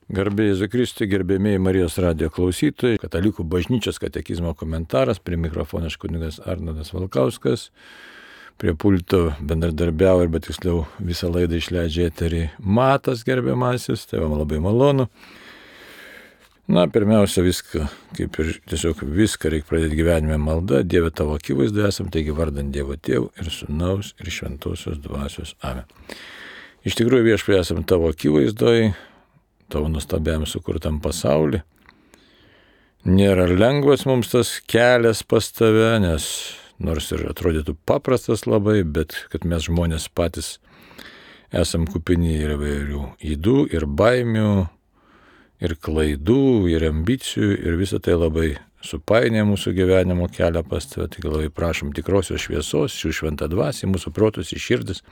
Garbė Jėzui Kristui, gerbėmėjai Marijos radijo klausytojai, Katalikų bažnyčios katekizmo komentaras, prie mikrofono kunigas Arnoldas Valkauskas, prie pulto bendradarbiavo ir bet tiksliau visą laidą išleidžia eterį Matas gerbiamasis, tai man labai malonu. Pirmiausia viską, kaip ir tiesiog viską reikia pradėti gyvenime malda, Dieve tavo akivaizdoje esam, taigi vardant Dievo Tėvų ir Sūnaus ir Šventosios Dvasios. Amen. Iš tikrųjų Viešpatie esam tavo akivaizdoje, tavo nuostabiam sukurtam pasaulį. Nėra lengvas mums tas kelias pas tave, nes nors ir atrodytų paprastas labai, bet kad mes žmonės patys esam kupini ir įvairių ydų, ir baimių, ir klaidų, ir ambicijų, ir visą tai labai supainė mūsų gyvenimo kelią pas tave. Tik labai prašom tikrosios šviesos, šių šventą dvasį, mūsų protus į širdis,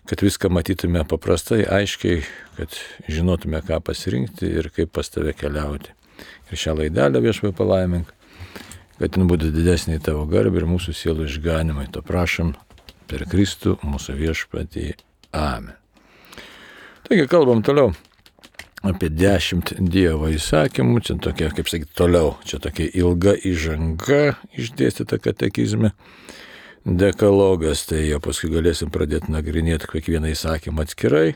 kad viską matytume paprastai, aiškiai, kad žinotume, ką pasirinkti ir kaip pas tave keliauti. Ir šią laidelę Viešpatie palaimink, kad jin būtų didesnė į tavo garbę ir mūsų sielų išganimai. To prašom per Kristų mūsų Viešpatį. Amen. Taigi kalbam toliau apie 10 Dievo įsakymų. Čia tokia, kaip sakyti, toliau. Čia tokia ilga įžanga išdėstyta katekizme. Dekalogas, tai jau paskui galėsim pradėti nagrinėti kiekvieną įsakymą atskirai.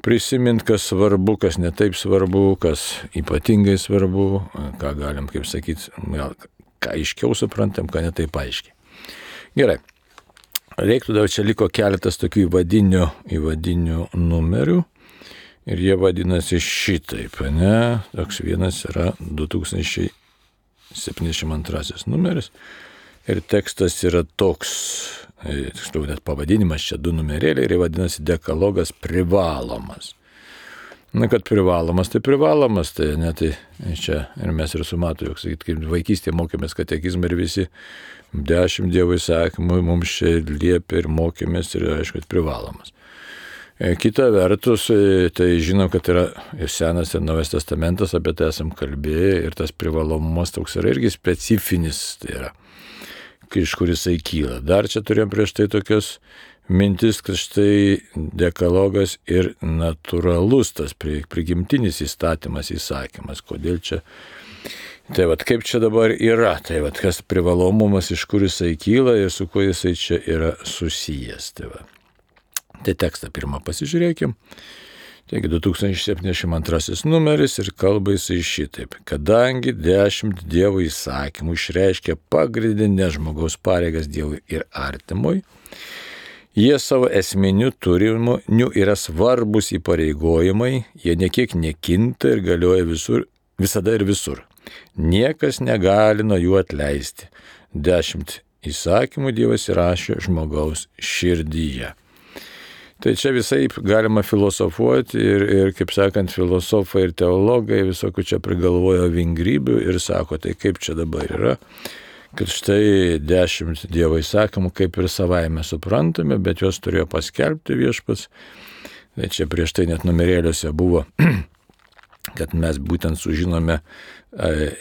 Prisimint, kas svarbu, kas netaip svarbu, kas ypatingai svarbu, ką galim, kaip sakyti, ką aiškiau suprantam, ką netaip aiškiai. Gerai. Reiktų dar čia liko keletas tokių įvadinių numerių. Ir jie vadinasi šitaip, ne? Toks vienas yra 2072 numeris. Ir tekstas yra toks, tiksliau net pavadinimas, čia 2 numerėliai, ir vadinasi dekalogas privalomas. Kad privalomas, tai ne, tai čia ir mes ir su Matu, jog sakyt, kaip vaikystėje mokėmės katekizmą ir visi 10 Dievo įsakymų mums čia liepė ir mokėmės ir aišku, privalomas. Kita vertus, tai žinom, kad yra ir Senas ir Naujas testamentas, apie tai esam kalbėję ir tas privalomumas toks yra irgi specifinis, tai yra iš kur jisai kyla. Dar čia turėjom prieš tai tokias mintis, kad štai dekalogas ir natūralus tas prigimtinis įstatymas, įsakymas. Kodėl čia? Tai kaip čia dabar yra? Tai kas privalomumas, iš kur jisai kyla ir su kuo jisai čia yra susijęs. Tai tekstą pirmą pasižiūrėkim. Taigi 2072 numeris ir kalba jisai šitaip. Kadangi 10 Dievo įsakymų išreiškia pagrindinės žmogaus pareigas Dievui ir artimui, jie savo esminiu turiniu yra svarbus įpareigojimai, jie niekiek nekinta ir galioja visada ir visur. Niekas negali nuo jų atleisti. 10 įsakymų Dievas įrašė žmogaus širdyje. Tai čia visai galima filosofuoti ir kaip sakant, filosofai ir teologai visokių čia prigalvojo vingrybių ir sako, tai kaip čia dabar yra, kad štai 10 Dievo įsakymų kaip ir savaime suprantame, bet juos turėjo paskelbti Viešpats. Tai čia prieš tai net numerėliuose buvo, kad mes būtent sužinome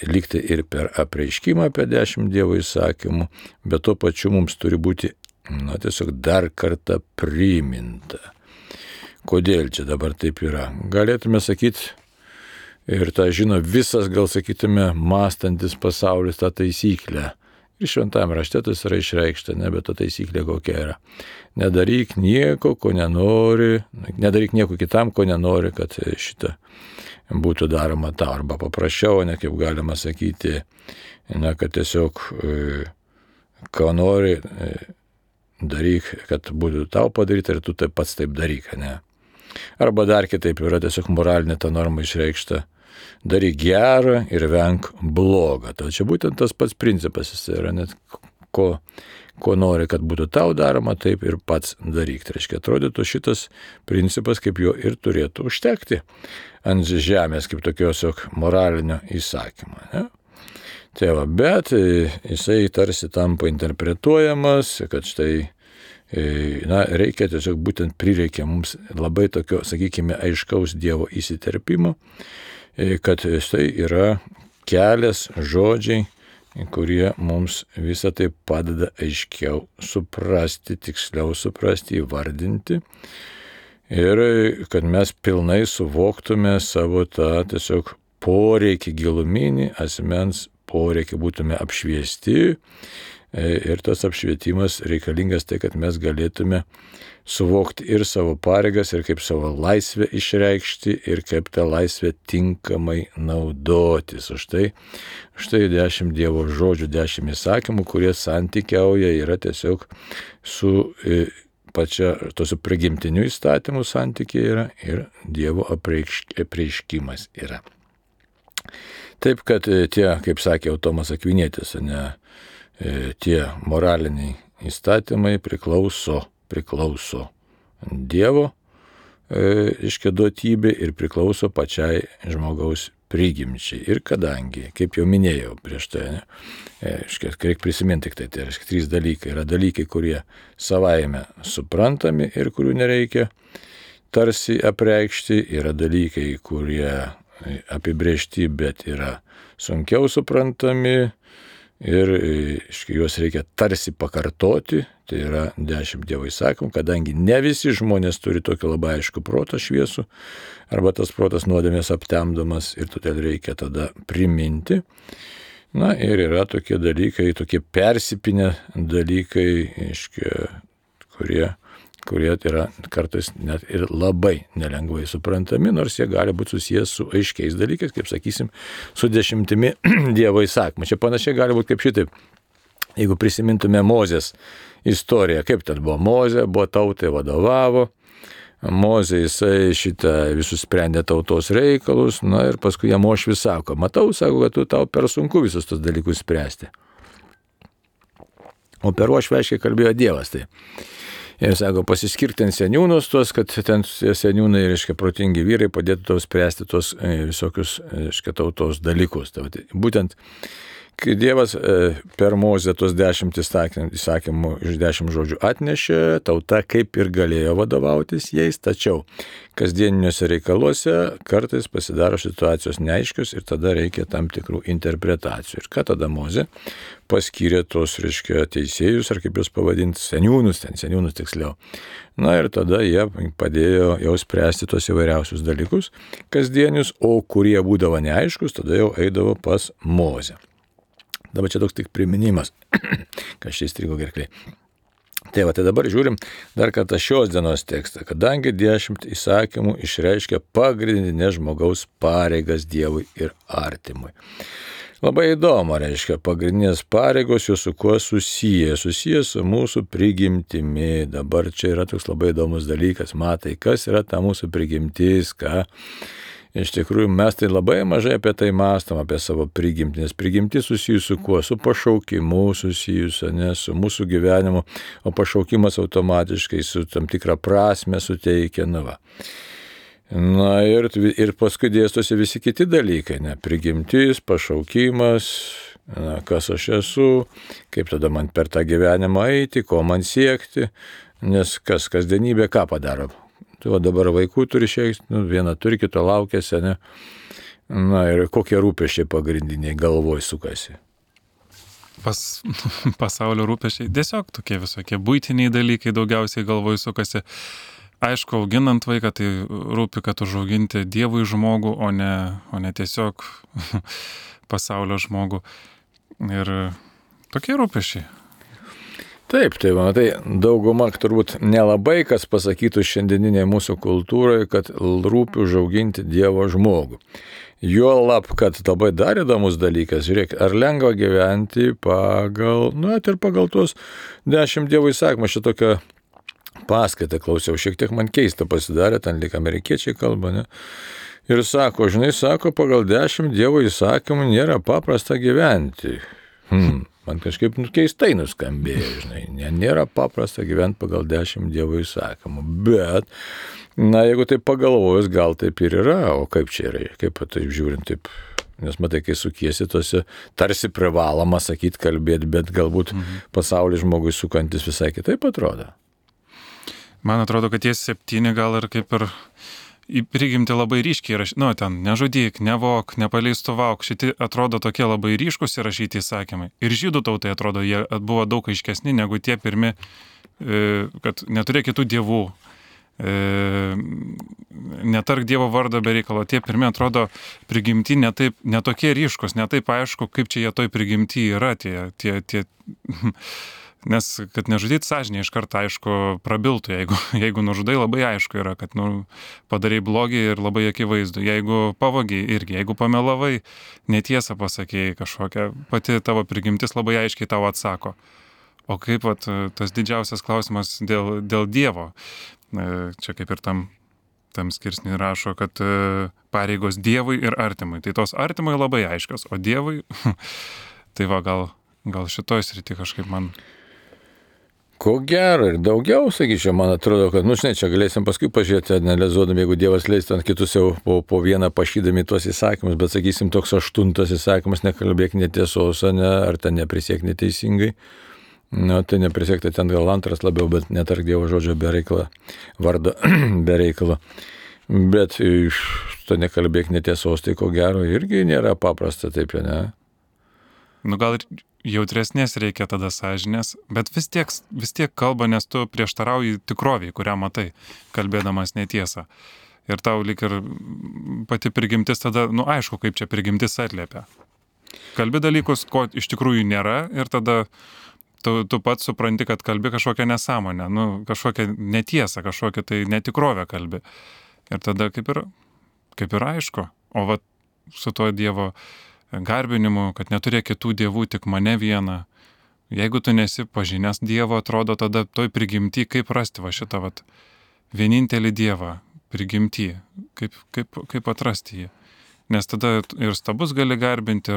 likti ir per apreiškimą apie 10 Dievo įsakymų, bet tuo pačiu mums turi būti tiesiog dar kartą priminta. Kodėl čia dabar taip yra? Galėtume sakyti, ir tą žino visas, gal sakytume, mąstantis pasaulis tą taisyklę. Ir šventame rašte tas yra išreikšta, bet ta taisyklė kokia yra. Nedaryk nieko, ko nenori, nedaryk nieko kitam, ko nenori, kad šitą būtų daroma tau. Arba paprasčiau, ne kaip galima sakyti, kad tiesiog ko nori, daryk, kad būtų tau padaryta ir tu taip pats taip daryk, ne? Arba dar kitaip yra tiesiog moralinė ta norma išreikšta. Daryk gerą ir venk blogą. Tai čia būtent tas pats principas, jis yra net ko nori, kad būtų tau daroma, taip ir pats daryk. Tai reiškia, atrodytų šitas principas, kaip jo ir turėtų užtekti ant žemės, kaip tokios moralinio įsakymo, ne? Tai bet jisai tarsi tampa interpretuojamas, kad štai, reikia tiesiog būtent prireikia mums labai tokio, sakykime, aiškaus Dievo įsiterpimo, kad štai yra kelias žodžiai, kurie mums visą tai padeda aiškiau suprasti, tiksliau suprasti, įvardinti ir kad mes pilnai suvoktume savo tą tiesiog poreikį giluminį, asmens poreikį, būtume apšviesti ir tas apšvietimas reikalingas tai, kad mes galėtume suvokti ir savo pareigas, ir kaip savo laisvę išreikšti, ir kaip tą laisvę tinkamai naudotis. Štai 10 Dievo žodžių, 10 įsakymų, kurie santykiauja yra tiesiog su pačia tos prigimtinių įstatymų santykiai yra ir Dievo apreiškimas yra. Taip, kad tie, kaip sakė Tomas Akvinietis, tie moraliniai įstatymai priklauso Dievo duotybė ir priklauso pačiai žmogaus prigimčiai. Ir kadangi, kaip jau minėjau prieš tai, reikia prisiminti tik tai, tai reiškia 3 dalykai. Yra dalykai, kurie savaime suprantami ir kurių nereikia tarsi apreikšti. Yra dalykai, kurie apibrėžti, bet yra sunkiau suprantami ir juos reikia tarsi pakartoti. Tai yra 10 Dievo įsakymų, kadangi ne visi žmonės turi tokį labai aišku protą šviesų, arba tas protas nuodėmės aptemdomas ir todėl reikia tada priminti. Na ir yra tokie dalykai, tokie persipinę dalykai, kurie yra kartais net ir labai nelengvai suprantami, nors jie gali būti susijęs su aiškiais dalykais, kaip sakysim, su 10 Dievo įsakymų. Čia panašiai gali būti kaip šitaip. Jeigu prisimintume Mozės istoriją, kaip ten buvo Mozė, buvo tautai vadovavo, Mozė jisai visus sprendė tautos reikalus, na ir paskui jam Uošvis sako, matau, sako, kad tau per sunku visus tos dalykus spręsti. O per Uošvį aiškiai kalbėjo Dievas. Tai. Ir sako, pasiskirk ten seniūnus tuos, kad ten seniūnai, reiškia, protingi vyrai padėtų tau spręsti tuos visokius, reiškia, tautos dalykus. Tai būtent, kai Dievas per Mozę tuos 10 įsakymų iš 10 žodžių atnešė, tauta kaip ir galėjo vadovautis jais, tačiau kasdieniniuose reikaluose kartais pasidaro situacijos neaiškios ir tada reikia tam tikrų interpretacijų. Ir ką tada Mozė paskyrė tos, reiškia, teisėjus, ar kaip juos pavadinti, seniūnus tiksliau. Na ir tada jie padėjo jau spręsti tos įvairiausius dalykus kasdienius, o kurie būdavo neaiškus, tada jau eidavo pas Mozę. Dabar čia toks tik priminimas, kas čia įstrigo gerkliai. Tai dabar žiūrim dar kartą šios dienos tekstą, kadangi 10 įsakymų išreiškia pagrindinės žmogaus pareigas Dievui ir artimui. Labai įdomu, reiškia, pagrindinės pareigos jos su kuo susiję su mūsų prigimtimi. Dabar čia yra toks labai įdomus dalykas, matai, kas yra ta mūsų prigimtis, ką. Iš tikrųjų, mes tai labai mažai apie tai mąstom, apie savo prigimtį, nes prigimtis susijusi su kuo? Su pašaukimu susijusi, ne su mūsų gyvenimu, o pašaukimas automatiškai su tam tikrą prasme suteikia. Na ir paskui dėstosi visi kiti dalykai, ne? Prigimtis, pašaukimas, kas aš esu, kaip tada man per tą gyvenimą eiti, ko man siekti, nes kasdienybė ką padaro? Tu dabar vaikų turi vieną turi, kito laukiasi, ne? Na ir kokie rūpesčiai pagrindiniai galvoj sukasi? Pasaulio rūpesčiai tiesiog tokie visokie buitiniai dalykai daugiausiai galvoj sukasi. Aišku, auginant vaiką, tai rūpi, kad užauginti Dievui žmogų, o ne tiesiog pasaulio žmogų. Ir tokie rūpesčiai. Taip, tai matai, dauguma turbūt nelabai kas pasakytų šiandieninėje mūsų kultūroje, kad rūpi užauginti Dievo žmogų. Juolab, kad labai dar įdomus dalykas, žiūrėk, ar lengva gyventi pagal tuos 10 Dievo įsakymų. Aš tokią paskaitą klausiau, šiek tiek man keista pasidarė, ten lyg amerikiečiai kalba, ne? Ir sako, pagal 10 Dievo įsakymų nėra paprasta gyventi. Man kažkaip keistai nuskambėjo, nėra paprasta gyventi pagal 10 Dievo įsakymų, bet, jeigu taip pagalvojus, gal taip ir yra, o kaip čia yra, kaip taip žiūrint, taip, nes matai, kai sukiesi tose, tarsi privaloma sakyti, kalbėti, bet galbūt pasaulį žmogui sukantis visai kitaip atrodo. Man atrodo, kad tie 7 gal ir kaip ir prigimti labai ryškiai įrašyti, ten nežudyk, nevok, nepaleistuvok, šitie atrodo tokie labai ryškus įrašyti įsakymai. Ir žydų tautai atrodo, jie buvo daug aiškesni negu tie pirmi, kad neturėk kitų dievų, netark Dievo vardo be reikalo. Tie pirmi atrodo prigimti netokie ryškus, netaip aišku, kaip čia jie toj prigimti yra tie nes kad nežudyti sąžinė iš karto aišku prabiltų, jeigu nužudai labai aišku yra, kad padarai blogį ir labai akivaizdu. Jeigu pavogiai irgi, jeigu pamelavai, netiesą pasakėjai kažkokią, pati tavo prigimtis labai aiškiai tau atsako. O kaip tas didžiausias klausimas dėl Dievo. Čia kaip ir tam skirsnį rašo, kad pareigos Dievui ir artimui. Tai tos artimui labai aiškios, o Dievui, tai gal šitoj srity kažkaip man... Ko gero ir daugiau, sakyčiau, man atrodo, kad, žinai, čia galėsim paskui pažiūrėti, analizuodami, jeigu Dievas leis ant kitus jau po vieną pašydami tuos įsakymus, bet, sakysim, toks 8 įsakymas, nekalbėk netiesos, ar ten neprisiek neteisingai. Tai neprisiekti ten gal 2 labiau, bet netark Dievo žodžio be reikalo, vardo be reikalo. Bet to nekalbėk netiesos, tai ko gero irgi nėra paprasta taip, ne? Gal ir jautresnės reikia tada sąžinės, bet vis tiek kalba, nes tu prieštarauji tikroviai, kurią matai, kalbėdamas netiesą. Ir tau lyg ir pati prigimtis tada, aišku, kaip čia prigimtis atliepia. Kalbi dalykus, ko iš tikrųjų nėra, ir tada tu pats supranti, kad kalbi kažkokią nesąmonę, kažkokią netiesą, kažkokią tai netikrovę kalbi. Ir tada kaip ir aišku. O su tuo Dievo garbinimu, kad neturėk kitų dievų, tik mane vieną. Jeigu tu nesi pažinęs Dievo, atrodo tada toj prigimty, kaip rasti šitą vienintelį Dievą prigimty, kaip atrasti jį. Nes tada ir stabus gali garbinti,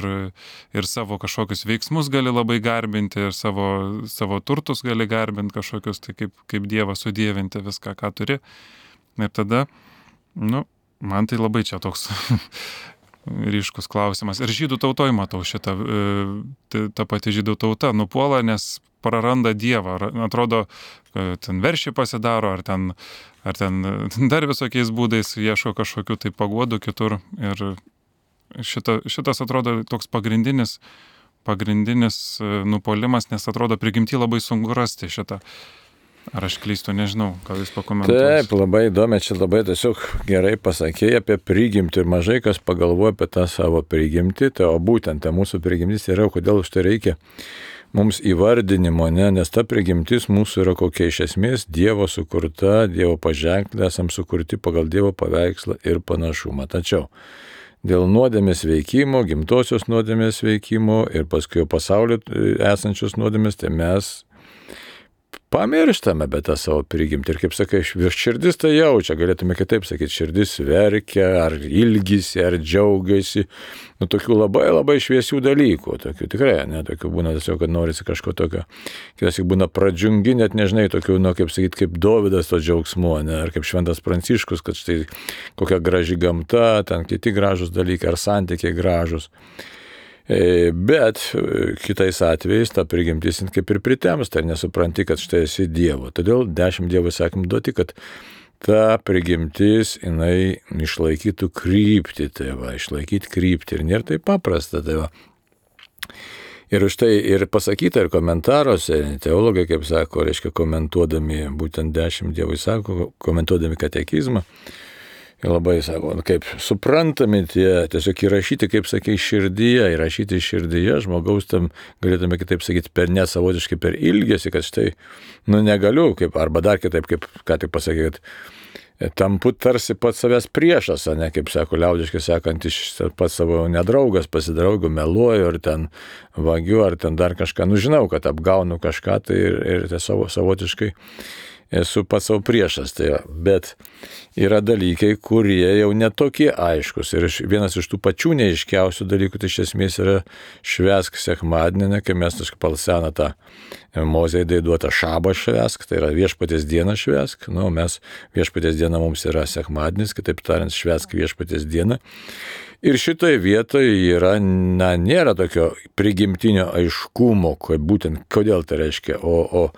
ir savo kažkokius veiksmus gali labai garbinti, ir savo turtus gali garbinti kažkokius, tai kaip Dievą sudievinti viską, ką turi. Ir tada, man tai labai čia toks ryškus klausimas. Ir žydų tautoj matau šitą, ta pati žydų tauta nupuola, nes praranda Dievą. Atrodo, ten veršiai pasidaro, ar ten dar visokiais būdais ieško kažkokių tai paguodų kitur. Ir šitas atrodo toks pagrindinis nupuolimas, nes atrodo prigimti labai sunku rasti šitą. Ar aš klystu, nežinau, ką jūs pakomentuosite. Taip, labai įdomi, čia labai tiesiog gerai pasakėjai apie prigimtį ir mažai kas pagalvoja apie tą savo prigimtį, o būtent ta mūsų prigimtis yra, kodėl už tai reikia mums įvardinimo, nes ta prigimtis mūsų yra kokia iš esmės Dievo sukurta, Dievo paženklė, esam sukurti pagal Dievo paveikslą ir panašumą. Tačiau dėl nuodėmės veikimo, gimtosios nuodėmės veikimo ir paskui jau pasaulio esančios nuodėmės, tai mes pamirštame tą savo prigimtį. Ir kaip sakai, širdis tai jaučia, galėtume kitaip sakyti, širdis verkia, ar ilgisi, ar džiaugiasi. Tokių labai labai šviesių dalykų. Tokių tikrai, tokių būna tiesiog, kad norisi kažko tokio. Kitas būna pradžiungi, net nežinai, tokių, kaip sakyti, kaip Dovydas to džiaugsmu, ar kaip Šventas Pranciškus, kad štai kokia graži gamta, ten kiti gražus dalykai, ar santykiai gražus. Bet kitais atvejais ta prigimtis kaip ir pritemsta ir nesupranti, kad štai esi Dievo. Todėl 10 Dievo įsakymų duoti, kad ta prigimtis, jinai išlaikytų kryptį, išlaikyti kryptį. Ir nėra taip paprasta, Ir už tai ir pasakyta, ir komentaruose, teologai, kaip sako, reiškia, komentuodami būtent 10 Dievo įsakymų, komentuodami katekizmą, ir labai sako, kaip suprantami tie, tiesiog įrašyti, kaip sakai, širdyje, įrašyti širdyje, žmogaus tam, galėtume kitaip sakyti, per nesavotiškai, per ilgesį, kad štai, negaliu, arba dar kitaip, kaip ką tik pasakė, kad tampu tarsi pats savęs priešas, kaip sako, liaudiškai sakant, pats savo nedraugas, pasidraugu, meluoju, ar ten vagiu, ar ten dar kažką, žinau, kad apgaunu kažką, tai ir savotiškai esu pats savo priešas, bet yra dalykai, kurie jau netokie aiškus. Ir vienas iš tų pačių neiškiausių dalykų, tai iš esmės yra švęsk sekmadienį, kai mes pagal seną tą Mozei duotą šabą švęsk, tai yra viešpaties dieną švęsk. Mes viešpaties diena mums yra sekmadienis, kitaip tariant, švęsk viešpaties dieną. Ir šitoje vietoje yra, nėra tokio prigimtinio aiškumo, būtent kodėl tai reiškia, o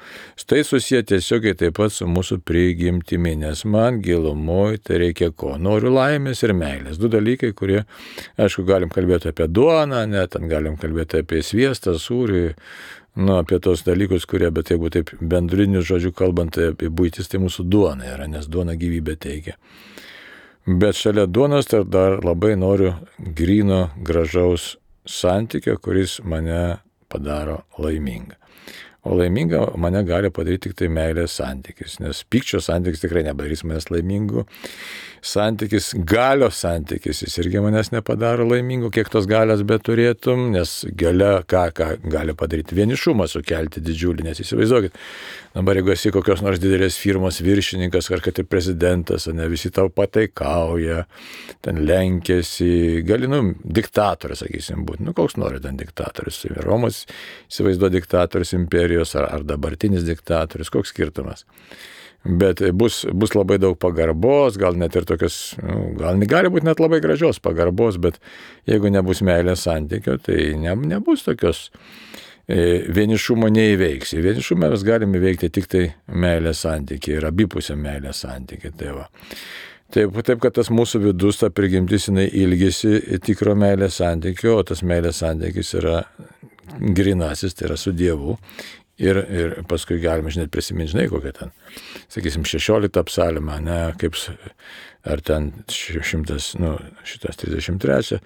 tai susiję tiesiogiai taip pat su mūsų prigimtimi, nes man gilumoje tai reikia ko? Noriu laimės ir meilės. 2 dalykai, kurie, aišku, galim kalbėti apie duoną, ten galim kalbėti apie sviestą, sūrį, apie tos dalykus, kurie, bet jeigu taip bendriniu žodžiu kalbant, tai apie buitis, tai mūsų duona yra, nes duona gyvybę teikia. Bet šalia duonos tai dar labai noriu gryno, gražaus santykio, kuris mane padaro laimingą. O laimingą mane gali padaryti tik tai meilės santykis, nes pykčio santykis tikrai nepadarys manęs laimingu. Santykis, galios santykis, jis irgi manęs nepadaro laimingu, kiek tos galios beturėtum, nes galia ką gali padaryti, vienišumą sukelti didžiulį, nes įsivaizduokit, dabar jeigu esi kokios nors didelės firmos viršininkas, ar kad ir prezidentas, ne visi tau pataikauja, ten lenkėsi, gali, diktatorius, sakysim, būti, koks nori ten diktatorius, Romos įsivaizduoja diktatorius imperijos, ar dabartinis diktatorius, koks skirtumas. Bet bus labai daug pagarbos, gal net ir tokios, gal gali būti net labai gražios pagarbos, bet jeigu nebus meilės santykio, tai nebus tokios vienišumo neįveiksi. Vienišumą mes galime įveikti tik tai meilės santykį ir abipusę meilės santykį. Taip, kad tas mūsų vidus, ta prigimtis, jinai ilgisi tikro meilės santykio, o tas meilės santykis yra grinasis, tai yra su Dievu. Ir paskui galime, prisiminti, kokią ten, sakysim, 16 psalmę, kaip, ar ten 133,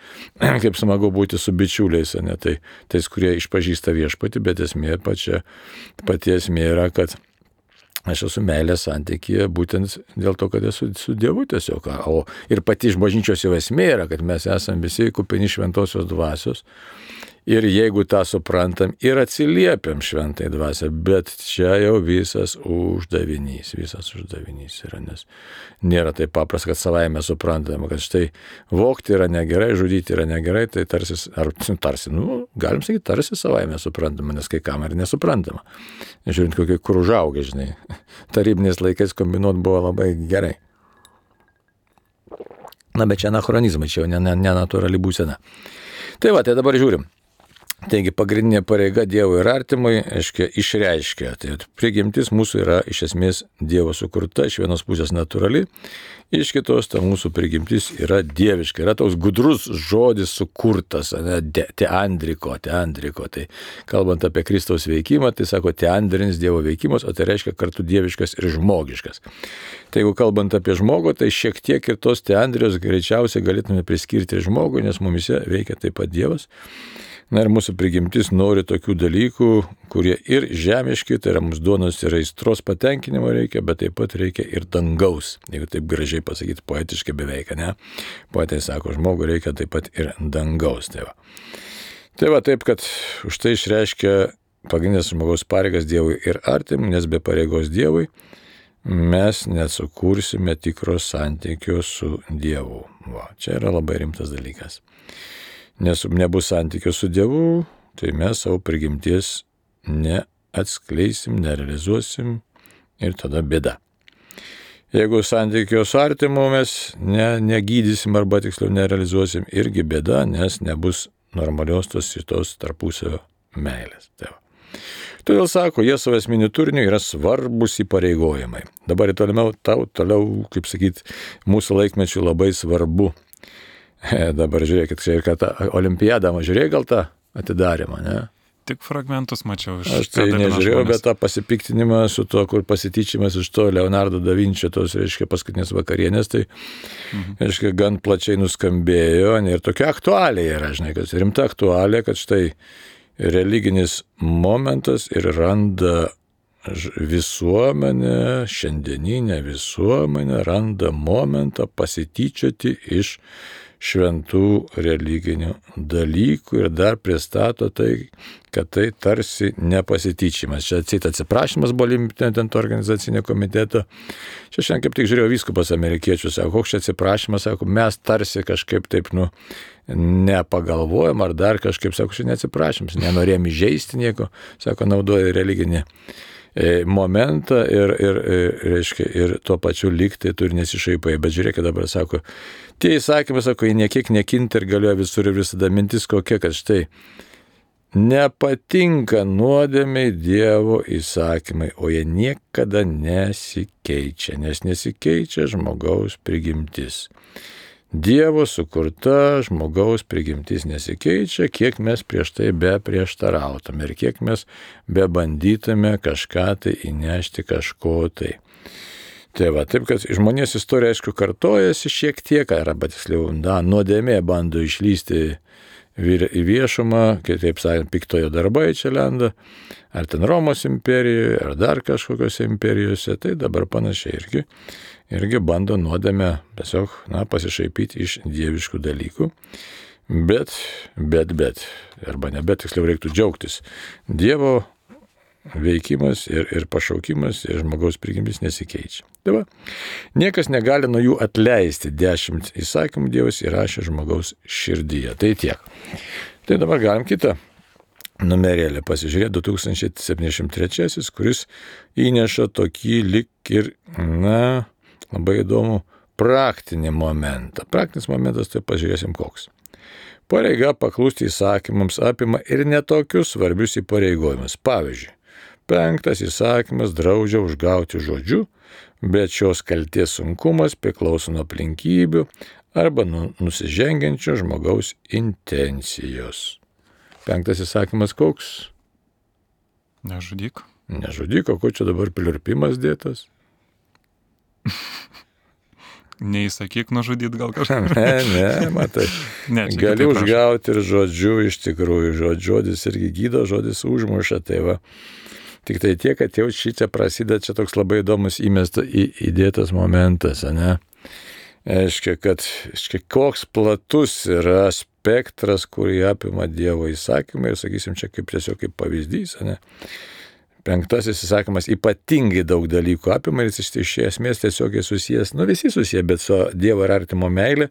kaip smagu būti su bičiuliais, tai tais, kurie išpažįsta viešpatį, bet pati esmė yra, kad aš esu meilės santykyje būtent dėl to, kad esu su Dievu tiesiog. Ir pati iš bažnyčios jau esmė yra, kad mes esame visi kupini šventosios dvasios. Ir jeigu tą suprantam ir atsiliepiam šventai dvasią, bet čia jau visas uždavinys yra, nes nėra taip paprasta, kad savaime suprantama, kad štai vogti yra negerai, žudyti yra negerai, tai tarsi, galim sakyti, tarsi savaime suprantama, nes kai kam ir nesuprantama. Žiūrint, kur užaugę, tarybiniais laikais kombinuot buvo labai gerai. Bet čia anachronizmai, čia jau nenatūrali būsena. Tai dabar žiūrim. Taigi pagrindinė pareiga Dievui ir artimui, išreiškia. Tai prigimtis mūsų yra iš esmės Dievo sukurta, iš vienos pusės natūrali, iš kitos ta mūsų prigimtis yra dieviška. Yra toks gudrus žodis sukurtas, teandriko. Tai kalbant apie Kristaus veikimą, tai sako teandrinis Dievo veikimas, o tai reiškia kartu dieviškas ir žmogiškas. Tai jeigu kalbant apie žmogų, tai šiek tiek ir tos teandrijos greičiausiai galėtume priskirti žmogui, nes mumise veikia taip pat Dievas. Ir mūsų prigimtis nori tokių dalykų, kurie ir žemiški, tai yra mūsų duonos ir aistros patenkinimo reikia, bet taip pat reikia ir dangaus. Jeigu taip gražiai pasakyti, poetiškai beveik, ne? Poetai sako, žmogui reikia taip pat ir dangaus. Taip, kad už tai išreiškia pagrindinės žmogaus pareigas Dievui ir artimui, nes be pareigos Dievui mes nesukursime tikro santykio su Dievu. Čia yra labai rimtas dalykas. Nes nebus santykio su Dievu, tai mes savo prigimties neatskleisim, nerealizuosim ir tada bėda. Jeigu santykio su artimu mes negydysim arba tiksliau nerealizuosim, irgi bėda, nes nebus normalios tos tarpusavio meilės. Todėl sako, jie savo esminių turinių yra svarbus įpareigojimai. Dabar toliau, kaip sakyti, mūsų laikmečių labai svarbu. Dabar žiūrėkit, kad olimpiadą, žiūrėjai gal tą atidarymą, ne? Tik fragmentus mačiau iš... Aš tai nežiūrėjau, bet tą pasipiktinimą su to, kur pasityčimas iš to Leonardo da Vinčio, tos, paskutinės vakarienės, tai, gan plačiai nuskambėjo, ir tokia aktualija yra, kad rimta aktualija, kad štai religinis momentas ir randa visuomenė, šiandieninė visuomenė randa momentą pasityčioti iš šventų religinių dalykų ir dar pristato tai, kad tai tarsi nepasityčimas. Čia atsiprašymas buvo ten to organizacinio komiteto. Čia šiandien kaip tik žiūrėjau vyskupas amerikiečių, sako, koks čia atsiprašymas, sako, mes tarsi kažkaip taip, nepagalvojam ar dar kažkaip, sako, čia neatsiprašymas, nenorėjom įžeisti nieko, sako, naudoja religinį momentą ir tuo pačiu liktai turi nesišaipai. Bet žiūrėkit dabar, sako, tie įsakymai, sako, jie niekiek nekinta ir galioja visur ir visada. Mintis kokia, kad štai nepatinka nuodėmiai Dievo įsakymai, o jie niekada nesikeičia, nes nesikeičia žmogaus prigimtis. Dievo sukurta žmogaus prigimtis nesikeičia, kiek mes prieš tai be prieštarautume ir kiek mes be bandytume kažką tai įnešti kažko tai. Tai va, taip, kad žmonės istorija, aišku, kartojasi šiek tiek, arba tiksliau, nuodėmė bando išlysti į viešumą, kitaip sakant, piktojo darbai čia lenda, ar ten Romos imperijoje, ar dar kažkokiose imperijose, tai dabar panašiai irgi bando nuodėmę tiesiog, pasišaipyti iš dieviškų dalykų, bet, arba ne bet, tiksliau reiktų džiaugtis. Dievo veikimas ir pašaukimas ir žmogaus prigimtis nesikeičia. Tai va, niekas negali nuo jų atleisti. 10 įsakymų Dievas įrašė žmogaus širdyje. Tai tiek. Tai dabar galim kitą numerėlį pasižiūrėti, 2073, kuris įneša tokį lik ir, labai įdomų praktinį momentą. Praktinis momentas, tai pažiūrėsim koks. Pareiga paklusti įsakymams apima ir netokius svarbius įpareigojimus. Pavyzdžiui, 5 įsakymas draudžia užgauti žodžiu, bet šios kaltės sunkumas priklauso nuo aplinkybių arba nusižengiančio žmogaus intencijos. 5 įsakymas koks? Nežudyk. Nežudyk, o ko čia dabar pliurpimas dėtas? Neįsakyk nužudyti gal kažką. Ne, matai. Gali užgauti ir žodžiu, iš tikrųjų, žodis irgi gydo, žodis užmuša, tai va. Tik tai tiek, kad jau šičia prasideda, čia toks labai įdomus įdėtas momentas, ne? Aiškia, kad koks platus yra spektras, kurį apima Dievo įsakymai, ir sakysim, čia kaip tiesiog kaip pavyzdys, ne? 5 įsakymas ypatingai daug dalykų apima ir jis iš esmės tiesiogiai susijęs, visi susiję, bet su Dievo ir artimo meilė,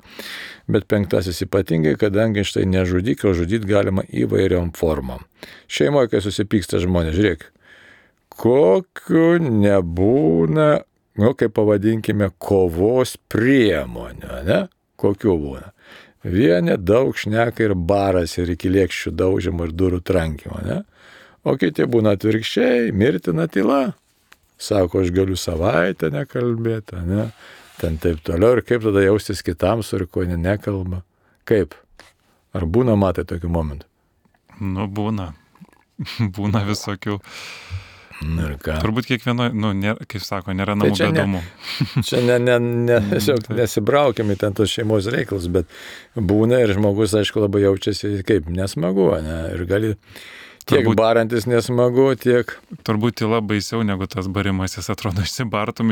bet 5 ypatingai, kadangi štai nežudyk, o žudyti galima įvairiom formom. Šeimoje, kai susipyksta žmonės, žiūrėk, kokiu nebūna, kaip pavadinkime, kovos priemonių, ne? Kokiu būna. Vieni daug šneka ir baras ir iki lėkščių daužimo ir durų trankimo, ne? O kiti būna atvirkščiai, mirtina tyla. Sako, aš galiu savaitę nekalbėti, ne? Ten taip toliau ir kaip tada jaustis kitam, su kuo nekalba. Kaip? Ar būna, matai, tokių momentų? Būna. Būna visokių. Ir ką? Turbūt kiekvieno, kaip sako, nėra namų be dūmų. Čia tiesiog nesibraukiam į ten tos šeimos reikalus, bet būna ir žmogus, aišku, labai jaučiasi kaip nesmagu, ne? Ir gali tiek barantis nesmagu, tiek... Turbūt tyla baisiau negu tas barimas, jis atrodo išsibartum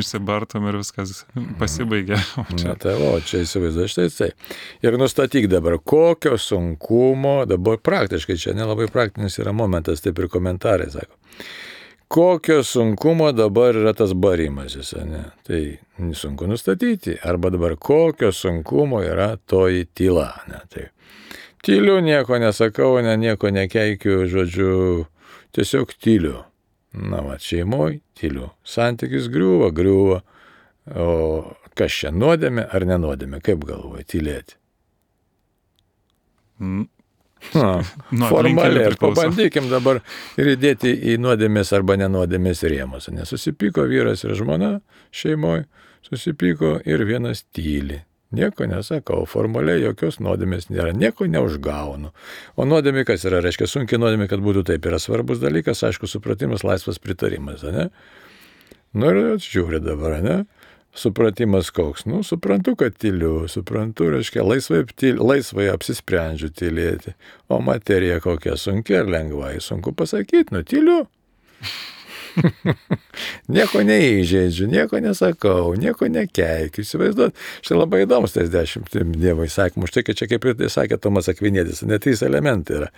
ir viskas pasibaigia. Čia įsivaizduoju, štai tai. Ir nustatyk dabar, kokio sunkumo, dabar praktiškai, čia nelabai praktinis yra momentas, taip ir komentarai sako. Kokio sunkumo dabar yra tas barimasis, ne? Tai sunku nustatyti. Arba dabar kokio sunkumo yra toji tyla, ne? Tai tyliu, nieko nesakau, nieko nekeikiu, žodžiu, tiesiog tyliu. Šeimoje tyliu. Santykis griūva. O kas čia, nuodėmė ar nenuodėmė? Kaip galvoji, tylėti? Formaliai, pabandykim dabar ir įdėti į nuodėmės arba nenuodėmės rėmus. Nesusipyko vyras ir žmona šeimoje, susipyko ir vienas tyli. Nieko nesakau, formaliai jokios nuodėmės nėra, nieko neužgaunu. O nuodėmė kas yra, reiškia sunkiai nuodėmė, kad būtų taip, yra svarbus dalykas, aišku, supratimas, laisvas pritarimas, ne? Ir žiūri dabar, ne? Supratimas koks, suprantu, kad tyliu, suprantu, reiškia, laisvai apsisprendžiu tylėti, o materija kokia sunkia ir lengvai, sunku pasakyti, tyliu. Nieko neįžeidžiu, nieko nesakau, nieko nekeikiu, įsivaizduot. Štai labai įdomus tas 10 Dievo įsakymų. Štai, kad čia kaip ir sakė Tomas Akvinietis, net 3 elementai yra.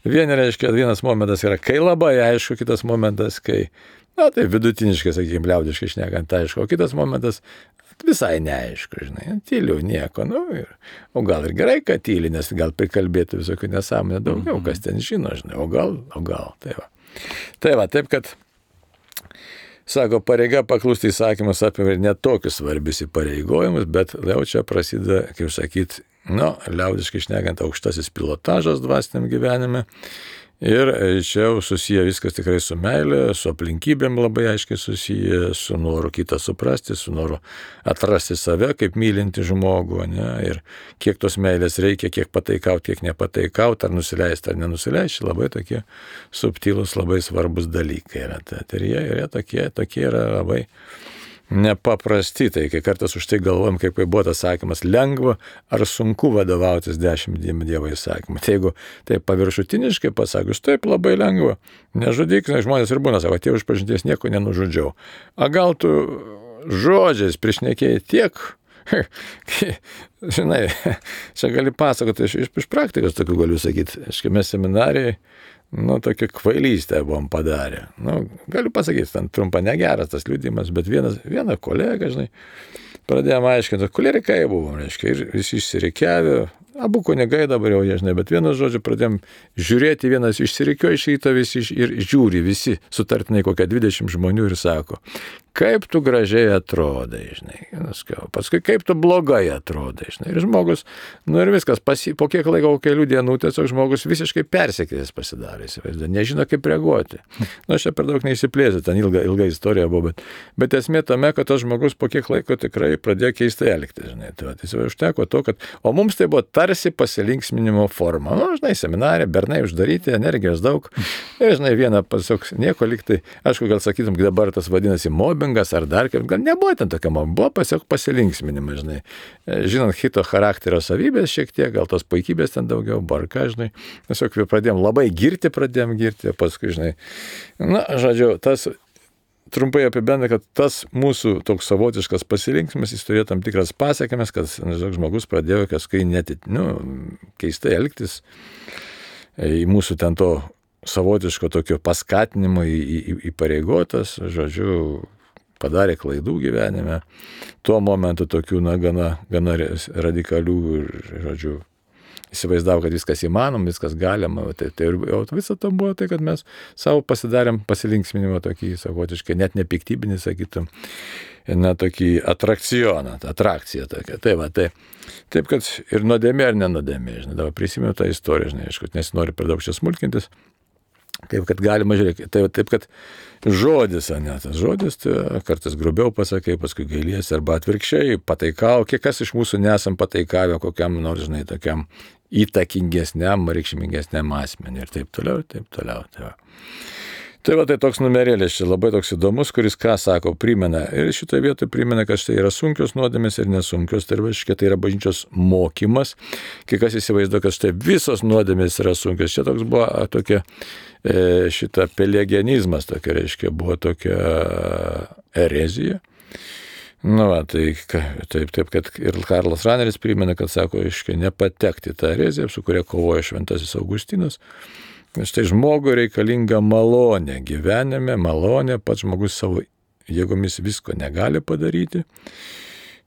Vienas momentas yra, kai labai aišku, kitas momentas, kai, tai vidutiniškai, sakykime, liaudiškai šnekant, aišku, o kitas momentas visai neaišku, žinai, tyliu, nieko, o gal ir gerai, kad tyli, nes gal prikalbėtų visokių nesąmonę daugiau, kas ten žino, žinai, o gal, tai va. Tai va, taip, kad sako, pareiga paklusti įsakymus apima ir net tokius svarbius įpareigojimus, bet jau čia prasideda, kaip sakyti, liaudiškai šnekant, aukštasis pilotažas dvasiniam gyvenime. Ir čia jau susiję viskas tikrai su meilė, su aplinkybėm labai aiškiai susiję, su noru kitą suprasti, su noru atrasti save kaip mylinti žmogų, ne? Ir kiek tos meilės reikia, kiek pataikauti, kiek nepataikauti, ar nusileisti, ar nenusileisti, labai tokie subtilūs, labai svarbus dalykai yra. Ir jie tokie yra labai nepaprasti, tai kai kartais už tai galvojam, kaip buvo tas sakymas, lengva ar sunku vadovautis 10 Dievo įsakymų. Tai jeigu tai paviršutiniškai pasakius, taip labai lengva, nežudyk, žmonės ir būna, sako, tie išpažinties nieko nenužudžiau. A gal tu žodžiais priešnekėjai tiek, žinai, čia gali pasakoti, iš praktikos tokių galiu sakyti, mes seminarijai, tokia kvailystė buvom padarę. Galiu pasakyti, ten trumpa negeras tas liudijimas, bet viena kolega, žinai, pradėjome aiškinti, kolerikai buvom, reiškia, ir visi išsirikiavę, abu kunigai dabar jau, žinai, bet vienas žodžiu pradėjom žiūrėti, vienas išsirikio iš ryto visi ir žiūri visi, sutartinai kokią 20 žmonių ir sako, kaip tu gražiai atrodai, žinai, paskui kaip tu blogai atrodai, žinai, ir žmogus, ir viskas, po kiek laiko, kelių dienų, tiesiog žmogus visiškai persekėjęs pasidarė, nežino kaip reaguoti. Aš čia per daug neįsiplėsiu, ten ilga istorija buvo, bet esmė tame, kad tas žmogus po kiek laiko tikrai pradėjo keistai elgtis, žinai, tai užteko to, kad, o mums tai buvo tarsi pasilinksminimo forma, žinai, seminarė, bernai uždaryti, energijos daug, ir, žinai, vieną pasiok, nieko liktai, aišku, gal sakytum, dabar tas vadinasi mobbingas ar dar kaip, gal nebuvo ten tokia mobbinga, buvo pasiok pasilinksminimas, žinai, žinant kito charakterio savybės šiek tiek, gal tos puikybės ten daugiau, barka, žinai, tiesiog pradėjom labai girti, paskui, žinai, žodžiu, tas trumpai apibendrina, kad tas mūsų toks savotiškas pasilinksmimas, jis turėjo tam tikras pasekmes, kad žmogus pradėjo kažkai keistai elgtis į mūsų ten to savotiško tokio paskatinimo įpareigotas, žodžiu, padarė klaidų gyvenime, tuo momentu tokių, gana radikalių, žodžiu, įsivaizdavo, kad viskas įmanoma, viskas galima, tai visą to buvo tai, kad mes savo pasidarėm pasilinksminimą tokį savotiškai, net nepiktybinį, sakytum, tokį atrakciją tokią. Taip, kad ir nuodėmė ar nenodėmė, žinai, dabar prisimenu tą istoriją, žinai, aišku, nesinori per daug čia smulkintis, taip, kad galima žiūrėti, taip, kad žodis, tas žodis, tai kartais grubiau pasakai, paskui gailiesi, arba atvirkščiai, pataikau, kiek kas iš mūsų nesam pataikavę kokiam nors, žinai, tokiam įtakingesniam, reikšmingesniam asmeniui ir taip toliau. Tai toks numerėlis čia labai toks įdomus, kuris ką sako, primena, ir šitoje vietoje primena, kad štai yra sunkios nuodėmės ir nesunkios, tai yra bažnyčios mokymas, kai kas įsivaizduoja, kad štai visos nuodėmės yra sunkios, čia toks buvo tokia, šita pelegianizmas, tokia reiškia, buvo tokia erezija. Taip, kad ir Karlas Raneris primena, kad sako, aiškiai, nepatekti tą ereziją, su kuria kovoja šventasis Augustinas. Štai žmogui reikalinga malonė gyvenime, malonė, pats žmogus savo jėgomis visko negali padaryti.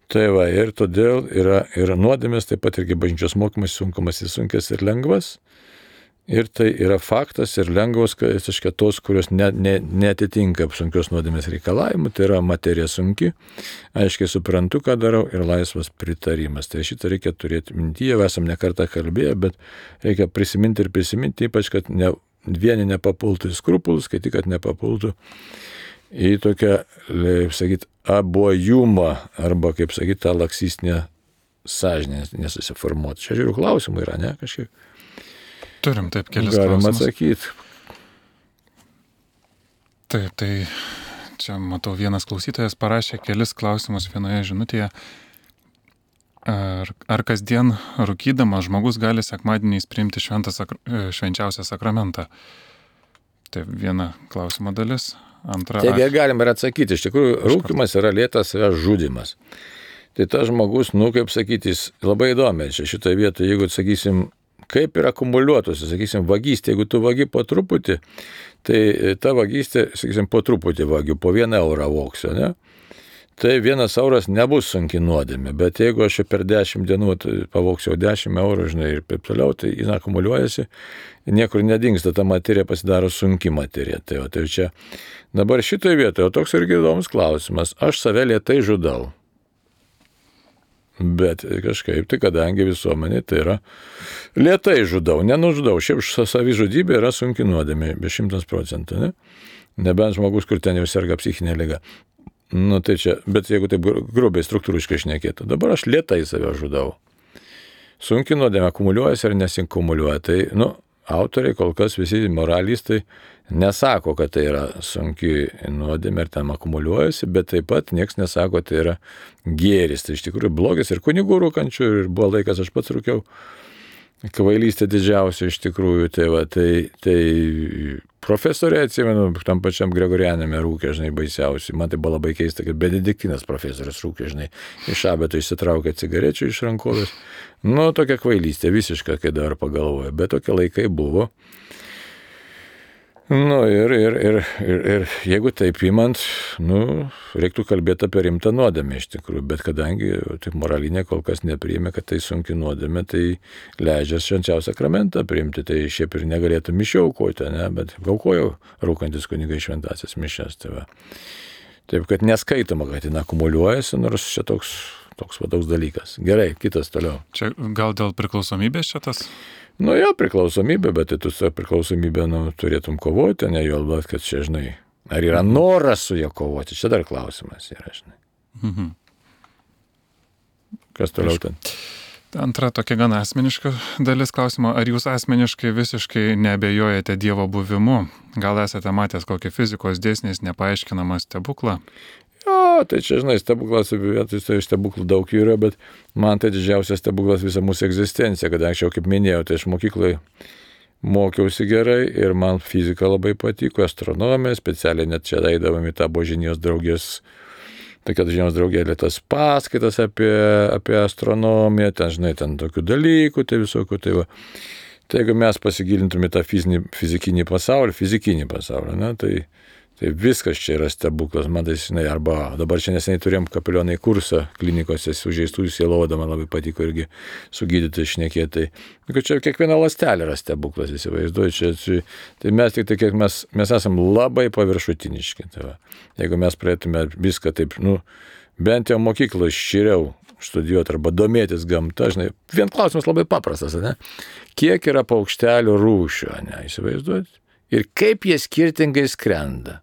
Tai ir todėl yra nuodėmės, taip pat irgi bažnyčios mokymas sunkus ir lengvas. Ir tai yra faktas ir lengvos, tos, kurios netitinka sunkios nuodėmės reikalavimų, tai yra materija sunki, aiškiai suprantu, ką darau ir laisvas pritarimas. Tai šitą reikia turėti mintyje, esam ne kartą kalbėję, bet reikia prisiminti, ypač, kad vieni nepapultų į skrupulus, kai tik, kad nepapultų į tokią, kaip sakyti, abuojumą arba, kaip sakyti, tą laksistinę sąžinę nesusiformuoti. Čia žiūriu, klausimų yra, ne, kažkiek. Turim taip kelis klausimus. Galim atsakyti. Taip, tai čia matau vienas klausytojas parašė kelis klausimus vienoje žinutėje. Ar kasdien rūkydamas žmogus gali sekmadieniais priimti švenčiausią sakramentą? Tai viena klausimo dalis. Antra. Taigi galim ir atsakyti. Iš tikrųjų, rūkymas yra lėtas savęs žudymas. Tai tas žmogus, kaip sakyti, jis labai įdomiai. Šitoje vietoje, jeigu, sakysim, kaip ir akumuliuotųsi, sakysim, vagystė, jeigu tu vagi po truputį, tai ta vagystė, sakysim, po truputį vagiu, po 1 eurą voksiu, ne? Tai 1 euras nebus sunki nuodėmė, bet jeigu aš per 10 dienų pavoksiu 10 eurų, žinai, ir taip toliau, tai jis akumuliuojasi, niekur nedingsta, ta materija pasidaro sunki materija. Tai čia dabar šitoje vietoje, toks irgi įdomus klausimas, aš save lėtai žudau. Bet kažkaip tai, kadangi visuomenė tai yra lėtai žudau, nenužudau. Šiaip savižudybė yra sunki nuodėmė, be 100%, ne? Nebent žmogus, kur ten jau serga psichinė liga. Nu tai čia, bet jeigu taip grubiai struktūriškai šnekėtų, dabar aš lėtai save žudau. Sunki nuodėmė akumuliuojasi ar nesinkumuliuoja. Tai, autoriai kol kas visi moralistai nesako, kad tai yra sunki nuodėmė ir ten akumuliuojasi, bet taip pat niekas nesako, tai yra gėris. Tai iš tikrųjų blogis ir kunigų rūkančių, ir buvo laikas, aš pats rūkiau. Kvailystė didžiausia iš tikrųjų. Tai profesoriai, atsimenu, tam pačiam Gregorianėme rūkė, žinai, baisiausiai. Man tai buvo labai keista, kad benediktinas profesorius rūkė, žinai, iš abeto išsitraukė cigarečių iš rankovės. Tokia kvailystė visiška, kai dabar pagalvoju, bet tokie laikai buvo. Ir jeigu taip imant, reiktų kalbėti apie rimtą nuodėmę iš tikrųjų, bet kadangi taip moralinė kol kas nepriėmė, kad tai sunki nuodėmė, tai leidžia švenčiausią sakramentą priimti, tai šiaip ir negalėtų mišių aukoti, ne, bet aukojau rūkantis kunigai šventąsias mišias. Taip, kad neskaitoma, kad jin akumuliuojasi, nors čia toks dalykas. Gerai, kitas toliau. Čia gal dėl priklausomybės šitas? Priklausomybė, bet tai tu su priklausomybė turėtum kovoti, ne jo, bet kad čia, žinai, ar yra noras su ją kovoti, čia dar klausimas yra, žinai. Mhm. Kas toliau ten? Antra tokia gana asmeniška dalis klausimo, ar jūs asmeniškai visiškai neabejojate Dievo buvimu? Gal esate matęs kokį fizikos dėsniais nepaaiškinamą stebuklą? Tai čia, žinai, stebuklas, tai stebuklų daug yra, bet man tai didžiausias stebuklas visa mūsų egzistencija, kad anksčiau, kaip minėjau, tai aš mokykloje mokiausi gerai ir man fizika labai patiko, astronomija, specialiai net čia eidavom į tą Božinijos draugės, tokia žinios draugėlė, tas paskaitas apie astronomiją, ten, žinai, ten tokių dalykų, tai visokių, tai va. Tai jeigu mes pasigilintume tą fizikinį pasaulį, ne, tai viskas čia yra stebuklas, man tai, žinai, arba dabar čia neseniai turėjom kapelionai kursą klinikose sužeistųjų sielovadą, man labai patiko irgi sugydyti šnekėti. Tai čia kiekviena ląstelė yra stebuklas, įsivaizduoju, tai mes tik tai, kiek mes esam labai paviršutiniški. Tai va. Jeigu mes praeitume viską taip, bent jau mokykloje širiau studijuoti arba domėtis gamta, žinai, vien klausimas labai paprastas, ne? Kiek yra paukštelių rūšių, ne, įsivaizduojat? Ir kaip jie skirtingai skrenda.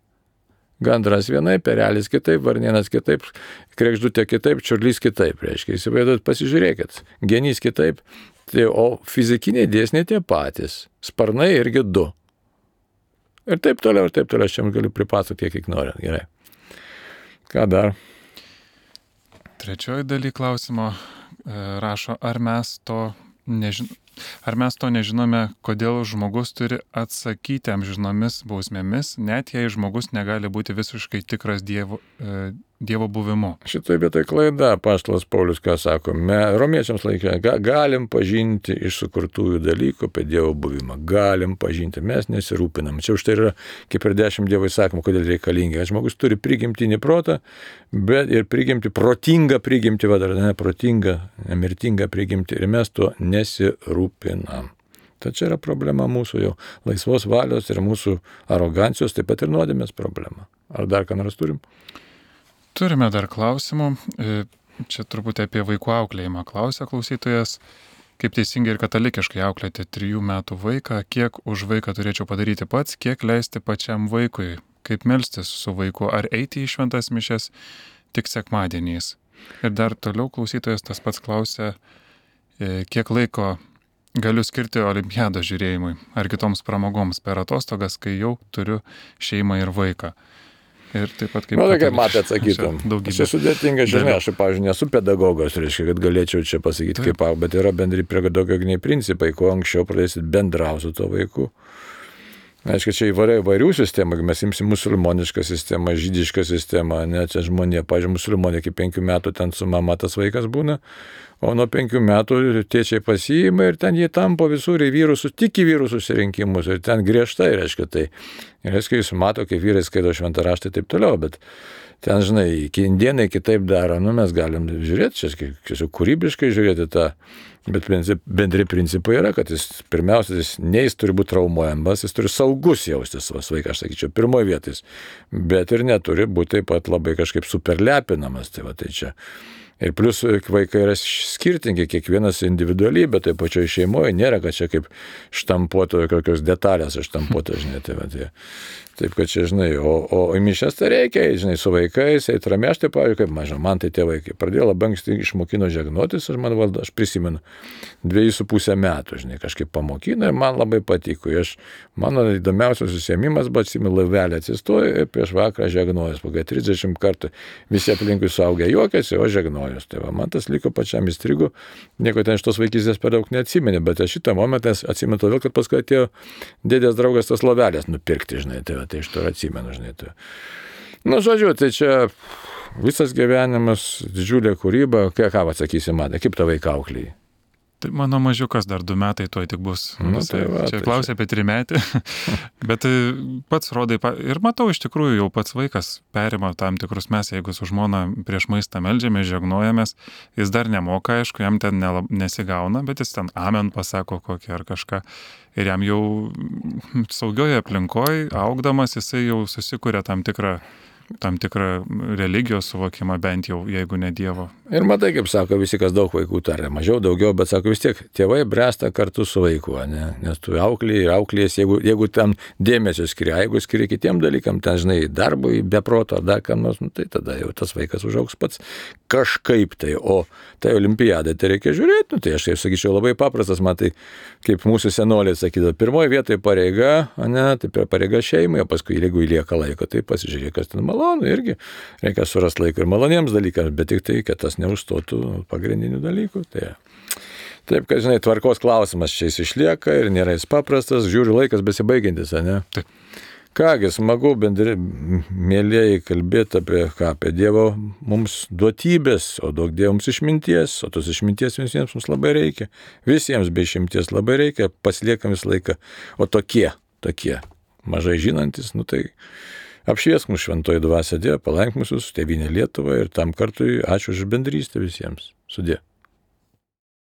Gandras vienaip, perelis kitaip, varnienas kitaip, kregždutė kitaip, čiurlys kitaip, reiškia, įsivaizduojat, pasižiūrėkit, genys kitaip, tai, o fizikiniai dėsniai tie patys, sparnai irgi 2. Ir taip toliau, aš čia galiu pripasakoti, kiek noriu, gerai. Ką dar? Trečioji daly klausimo rašo, ar mes to nežinome, kodėl žmogus turi atsakyti amžinomis bausmėmis, net jei žmogus negali būti visiškai tikras Dievo buvimu. Šitoj vietoj klaida, apaštalas Paulius, ką sako, romiečiams laikė, galim pažinti iš sukurtųjų dalykų apie Dievo buvimą, galim pažinti, mes nesirūpinam. Čia už tai yra kaip ir 10 Dievo įsakymų, kodėl reikalingi. Žmogus turi prigimtinį protą, bet ir protingą prigimtį, protingą, nemirtingą prigimtį, ir mes tuo nesirūpinam. Tai čia yra problema mūsų jau laisvos valios ir mūsų arogancijos, taip pat ir nuodėmės problema. Ar dar ką nors turim? Turime dar klausimų. Čia turbūt apie vaikų auklėjimą klausia klausytojas. Kaip teisingai ir katalikiškai auklėti 3 metų vaiką, kiek už vaiką turėčiau padaryti pats, kiek leisti pačiam vaikui, kaip melstis su vaiku, ar eiti į šventas mišias tik sekmadieniais. Ir dar toliau klausytojas tas pats klausia, kiek laiko galiu skirti olimpiados žiūrėjimui ar kitoms pramogoms per atostogas, kai jau turiu šeimą ir vaiką. Ir taip pat kaip... kaip matė, atsakytum. Čia sudėtinga, žinai, aš, pavyzdžiui, nesu pedagogas, reiškia, kad galėčiau čia pasakyti, kaip, bet yra bendri pedagoginiai principai, kuo anksčiau pradėsit bendrauti su to vaiku. Aišku, čia įvairių sistemų, mes imsim musulmonišką sistemą, žydišką sistemą, ne, čia žmonė, pavyzdžiui, musulmonė iki 5 metų ten su mama tas vaikas būna, o nuo 5 metų tėčiai pasiima ir ten jie tampo visur į vyrų, tik į vyrų susirinkimus ir ten griežtai, reiškia tai. Ir reiškia, jūs mato, kaip vyrai skaito šventą raštą ir taip toliau, bet ten, žinai, indienai kitaip daro, mes galim žiūrėti, čia kūrybiškai žiūrėti tą. Bet bendri principai yra, kad jis pirmiausia, jis turi būti traumuojamas, jis turi saugus jaustis savo vaiką, aš sakyčiau, pirmoje vietoj, bet ir neturi būti taip pat labai kažkaip superlepinamas. Tai čia Ir plus vaikai yra skirtingi, kiekvienas individualybė, tai pačioje šeimoje nėra, kad čia kaip štampuoto, kokios detalės štampuoto, žinai, tai va, taip, kad čia, žinai, o į mišias tai reikia, žinai, su vaikais, eiti ramiai, aš tai, pavyzdžiui, kaip maža, man tai tėvai, pradėjo labai anksti išmokino žegnotis, aš prisimenu, 2,5 metų, žinai, kažkaip pamokino ir man labai patiko. Mano įdomiausias užsiėmimas, bet atsimenu, laivelį atsistoju ir prieš vakarą žegnojus, pagai 30 kartų visi aplinkui suaugę juokėsi, o žegnojus. Tai va, man tas liko pačiam įstrigo, nieko ten iš tos vaikystės per daug neatsimenė, bet aš šitą momentą atsimenu todėl, kad paskui atėjo dėdės draugas tas lovelės nupirkti, žinai, tai iš to atsimenu, žinai. Tai. Nu, žodžiu, tai čia visas gyvenimas, didžiulė kūryba, ką atsakysi, Mada, kaip tavai auklėjai? Tai mano mažiukas dar 2 metai tuoj tik bus. Tai va, čia klausė apie 3 metį, bet pats rodai, ir matau, iš tikrųjų jau pats vaikas perima tam tikrus, mes jeigu su žmona prieš maistą meldžiame, žegnojamės, jis dar nemoka, aišku, jam ten nesigauna, bet jis ten amen pasako kokį ar kažką. Ir jam jau saugioje aplinkoje, augdamas, jisai jau susikuria tam tikrą religijos suvokimą, bent jau, jeigu ne Dievo. Ir matai, kaip sako visi, kas daug vaikų taria, mažiau, daugiau, bet sako vis tiek, tėvai bręsta kartu su vaiku, ne? Nes tu auklės, jeigu ten dėmesio skiria, jeigu skiria kitiem dalykam, ten, žinai, darbui, be proto, dar kam nors, tai tada jau tas vaikas užaugs pats kažkaip tai, o tai olimpiadai tai reikia žiūrėti, tai aš tai sakyčiau labai paprastas, matai, kaip mūsų senoliai sakydavo, pirmoji vietoje pareiga, ne, tai pareiga šeimai, o paskui, jeigu įlieka laiko, tai pasižiūrėk, kas ten malonu, irgi reikia surasti laiko ir maloniems dalykams, bet tik tai, kad tas neužstotų pagrindinių dalykų. Tai. Taip, kad, žinai, tvarkos klausimas čia jis išlieka ir nėra jis paprastas, žiūriu laikas besibaigiantis, ne? Taip. Kągi, smagu mėlėjai kalbėti apie Dievo mums duotybės, o duok Dievams išminties, o tos išminties visiems mums labai reikia, visiems be išimties labai reikia, pasiliekam visą laiką, o tokie, mažai žinantis, nu tai apšviesk mus šventoji dvasia Dieve, palaink mus Tėvynę Lietuvą ir tam kartui ačiū už bendrystę visiems. Sudie.